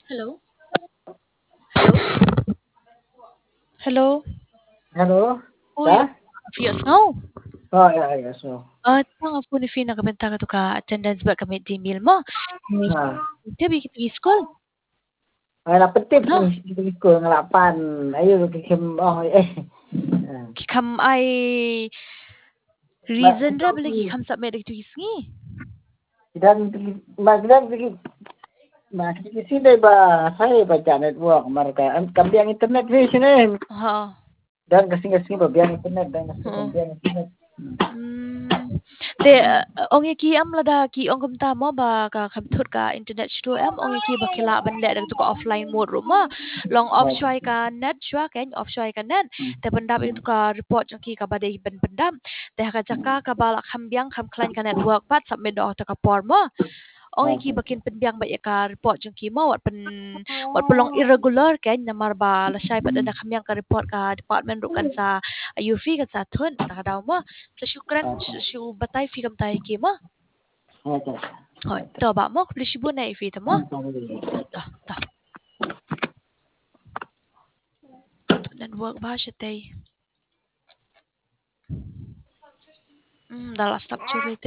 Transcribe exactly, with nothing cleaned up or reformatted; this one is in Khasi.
Hello. Hello. Hello. Hello. Oi. Ka? Phi ïohsngew? Oh, ïa, ïa, sngew. Ah, tang phone ïa phi na ka bynta katu ka attendance bad ka midday meal mo. Ha. Te ba ki skul. Ai, la pyntip. Ha. Ki skul nga la pan. Ayo, ki kham, oh, eh. Ki kham ai reason re ba la ki kham submit da kitu ki sngi. Ki dang, ma ki dang ki, ma ki sngi dei ba, hai ba ja network, mar ka, em, kam biang internet phi shane. Ha. Dang ka sngi ka sngi ba biang internet, dang ka sngi ba biang internet. Hmm. Te, eh, ong ïa ki em lada ki ong kumta mo ba ka kham thut ka internet shuh em, ong ïa ki ba ki lah ban leh da katu ka offline mode ruh mo. Long off shuwa ka net shuwa, kan off shuwa ka net. Te pyndap ïa katu ka report jong ki kaba dei ban pyndap. Te ha ka jaka kaba la kham biang kham khlaiñ ka network pat submit noh ha katu ka por mo. Ong ïa ki ba kin pynbiang bad ïa ka report jong ki mo, wat pyn, wat pynlong irregular kan, namar ba lashai pat da kham biang ka report ka department ruh kan sa ïohi, kan sa thut, ta ka daw mo. Sa shu kren, shu, shu batai phi kumta ïa ki mo. Hooid, to ba mo, khublei shibun ïa phi te mo. To, to. Network ba shatei. Hmm, da la stop jur.